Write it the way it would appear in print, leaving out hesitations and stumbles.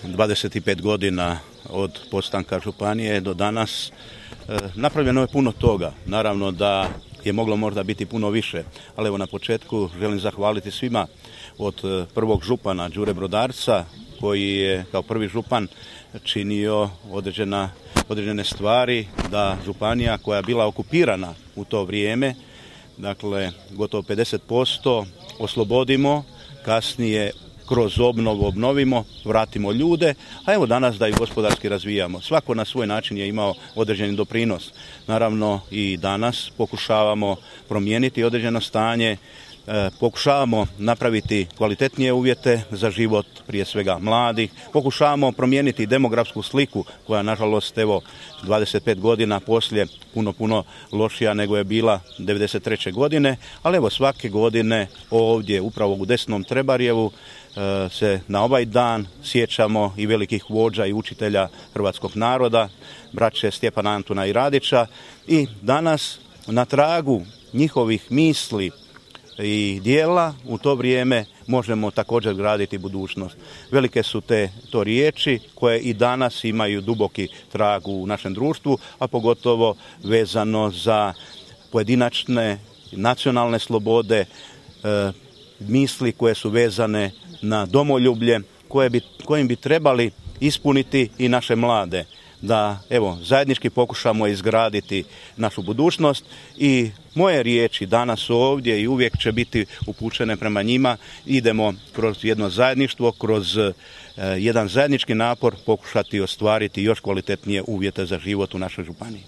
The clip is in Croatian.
25 godina od postanka županije do danas napravljeno je puno toga. Naravno da je moglo možda biti puno više, ali evo na početku želim zahvaliti svima od prvog župana Đure Brodarca koji je kao prvi župan činio određene stvari da županija koja je bila okupirana u to vrijeme, dakle gotovo 50%, oslobodimo, kasnije kroz obnovu obnovimo, vratimo ljude, a evo danas da i gospodarski razvijamo. Svako na svoj način je imao određeni doprinos. Naravno i danas pokušavamo promijeniti određeno stanje, pokušavamo napraviti kvalitetnije uvjete za život prije svega mladih, pokušavamo promijeniti demografsku sliku koja nažalost evo 25 godina poslije puno lošija nego je bila 93. godine, ali evo svake godine ovdje upravo u Desnom Trebarjevu se na ovaj dan sjećamo i velikih vođa i učitelja hrvatskog naroda, braće Stjepana, Antuna i Radića, i danas na tragu njihovih misli i dijela u to vrijeme možemo također graditi budućnost. Velike su to riječi koje i danas imaju duboki trag u našem društvu, a pogotovo vezano za pojedinačne nacionalne slobode, misli koje su vezane na domoljublje, kojim bi trebali ispuniti i naše mlade. Da evo zajednički pokušamo izgraditi našu budućnost i moje riječi danas ovdje i uvijek će biti upućene prema njima. Idemo kroz jedno zajedništvo, kroz jedan zajednički napor pokušati ostvariti još kvalitetnije uvjete za život u našoj županiji.